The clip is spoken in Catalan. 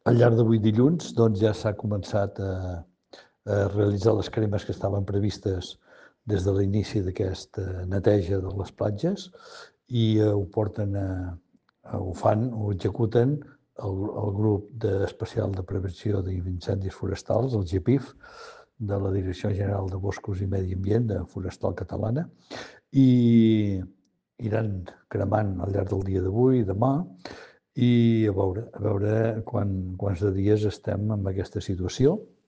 Al llarg d'avui dilluns ja s'ha començat a realitzar les cremes que estaven previstes des de l'inici d'aquesta neteja de les platges i ho fan, ho executen el grup especial de prevenció d'incendis forestals, el GEPIF, de la Direcció General de Boscos i Medi Ambient de Forestal Catalana, i iran cremant al llarg del dia d'avui i demà, i a veure quants de dies estem en aquesta situació.